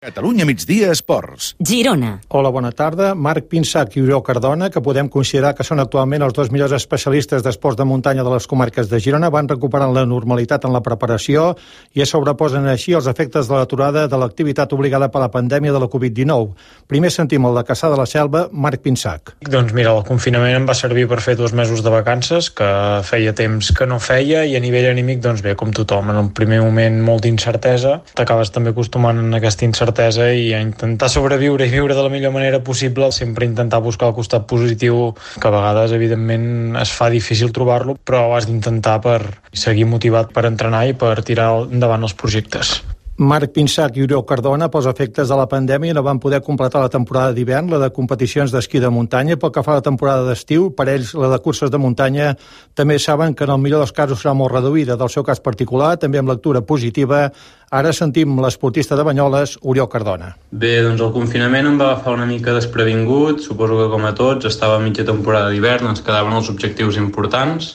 Catalunya Migdia Esports. Girona. Hola, bona tarda. Marc Pinsac i Oriol Cardona, que podem considerar que són actualment els dos millors especialistes d'esports de muntanya de les comarques de Girona, van recuperant la normalitat en la preparació i es sobreposen així els efectes de l'aturada de l'activitat obligada per la pandèmia de la Covid-19. Primer sentim el de Cassà de la Selva, Marc Pinsac. Doncs mira, el confinament em va servir per fer 2 mesos de vacances, que feia temps que no feia, i a nivell anímic, doncs bé, com tothom, en el primer moment molt d'incertesa, t'acabes també acostumant a aquesta incertesa i a intentar sobreviure i viure de la millor manera possible, sempre intentar buscar el costat positiu, que a vegades evidentment es fa difícil trobar-lo, però has d'intentar per seguir motivat per entrenar i per tirar endavant els projectes. Marc Pinsac i Oriol Cardona, pels efectes de la pandèmia, no van poder completar la temporada d'hivern, la de competicions d'esquí de muntanya. Pel que fa a la temporada d'estiu, per ells la de curses de muntanya també saben que en el millor dels casos serà molt reduïda. Del seu cas particular, també amb lectura positiva, ara sentim l'esportista de Banyoles, Oriol Cardona. Bé, doncs el confinament em va agafar una mica desprevingut, suposo que com a tots, estava a mitja temporada d'hivern, ens quedaven els objectius importants,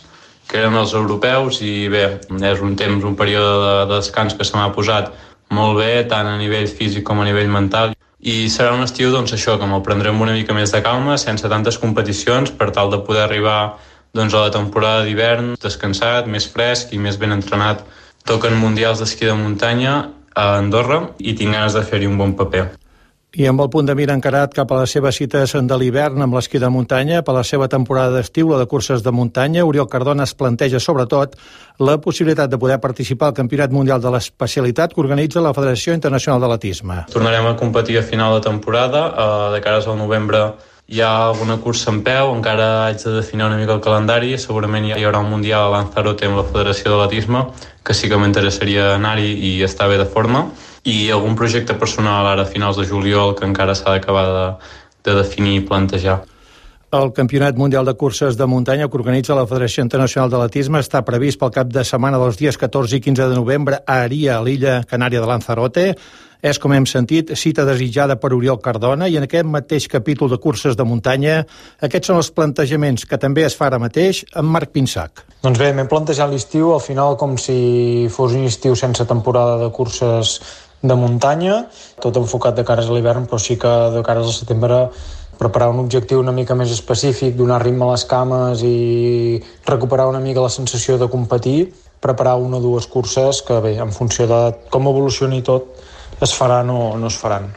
que eren els europeus, i bé, és un període de descans que se m'ha posat molt bé, tant a nivell físic com a nivell mental, i serà un estiu, doncs això, que me'l prendrem una mica més de calma, sense tantes competicions, per tal de poder arribar doncs, a la temporada d'hivern descansat, més fresc i més ben entrenat. Toquen mundials d'esquí de muntanya a Andorra i tinc ganes de fer-hi un bon paper. I amb el punt de mira encarat cap a les seves cites de l'hivern amb l'esquí de muntanya, per la seva temporada d'estiu, la de curses de muntanya, Oriol Cardona es planteja sobretot la possibilitat de poder participar al Campionat Mundial de l'Especialitat que organitza la Federació Internacional d'Atletisme. Tornarem a competir a final de temporada, de cara al novembre hi ha alguna cursa en peu, encara haig de definir una mica el calendari, segurament hi haurà un Mundial a Lanzarote amb la Federació d'Atletisme, que sí que m'interessaria anar-hi i estar bé de forma, i algun projecte personal ara a finals de juliol que encara s'ha d'acabar de definir i plantejar. El Campionat Mundial de Curses de Muntanya que organitza la Federació Internacional d'Atletisme està previst pel cap de setmana dels dies 14 i 15 de novembre a Aria, a l'illa canària de Lanzarote. És, com hem sentit, cita desitjada per Oriol Cardona, i en aquest mateix capítol de curses de muntanya aquests són els plantejaments que també es fa ara mateix amb Marc Pinsac. Doncs bé, m'he plantejat l'estiu al final com si fos un estiu sense temporada de curses de muntanya, tot enfocat de cares a l'hivern, però sí que de cares al setembre preparar un objectiu una mica més específic, donar ritme a les cames i recuperar una mica la sensació de competir, preparar 1 o 2 curses que bé, en funció de com evolucioni tot, es faran o no es faran.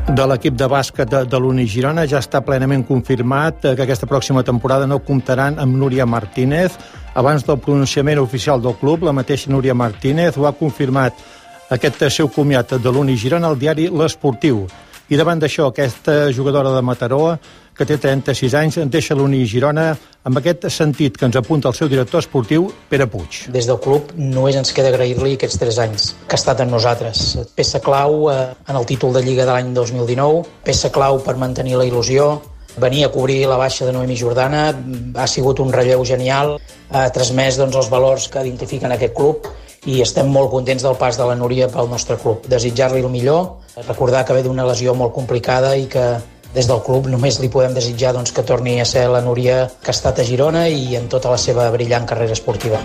De l'equip de bàsquet de l'Uni Girona ja està plenament confirmat que aquesta pròxima temporada no comptaran amb Núria Martínez. Abans del pronunciament oficial del club, la mateixa Núria Martínez ho ha confirmat aquest seu comiat de l'Uni Girona al diari L'Esportiu. I davant d'això, aquesta jugadora de Mataró, que té 36 anys, deixa l'Uni Girona amb aquest sentit que ens apunta el seu director esportiu, Pere Puig. Des del club només ens queda agrair-li aquests 3 anys que ha estat amb nosaltres. Peça clau en el títol de Lliga de l'any 2019, peça clau per mantenir la il·lusió, venir a cobrir la baixa de Noemi Jordana, ha sigut un relleu genial, ha transmès els valors que identifiquen aquest club i estem molt contents del pas de la Núria pel nostre club. Desitjar-li el millor, recordar que ve d'una lesió molt complicada i que des del club només li podem desitjar que torni a ser la Núria que ha estat a Girona i en tota la seva brillant carrera esportiva.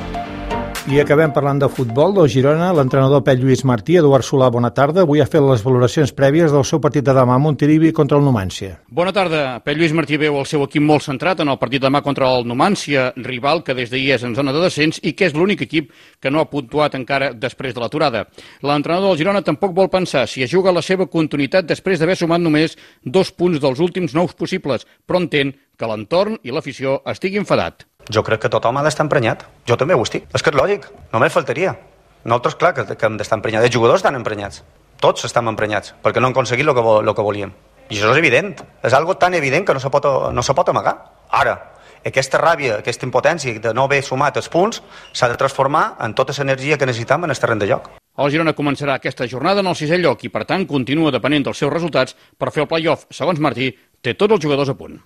I acabem parlant de futbol del Girona. L'entrenador Pep Lluís Martí, Eduard Solà, bona tarda. Avui ha fet les valoracions prèvies del seu partit de demà a Montilivi contra el Numància. Bona tarda. Pep Lluís Martí veu el seu equip molt centrat en el partit de demà contra el Numància, rival que des d'ahir és en zona de descens i que és l'únic equip que no ha puntuat encara després de l'aturada. L'entrenador del Girona tampoc vol pensar si es juga la seva continuïtat després d'haver sumat només 2 punts dels últims 9 possibles, però entén que l'entorn i l'afició estigui enfadat. Jo crec que tothom ha d'estar emprenyat. Jo també ho estic. És que és lògic, només faltaria. Nosaltres, clar, que hem d'estar emprenyats. Els jugadors estan emprenyats. Tots estem emprenyats, perquè no han aconseguit el que volíem. I això és evident. És algo tan evident que no se pot amagar. Ara, aquesta ràbia, aquesta impotència de no haver sumat els punts s'ha de transformar en tota l'energia que necessitem en el terreny de joc. El Girona començarà aquesta jornada en el 6è lloc i, per tant, continua depenent dels seus resultats per fer el play-off. Segons Martí, té tots els jugadors a punt.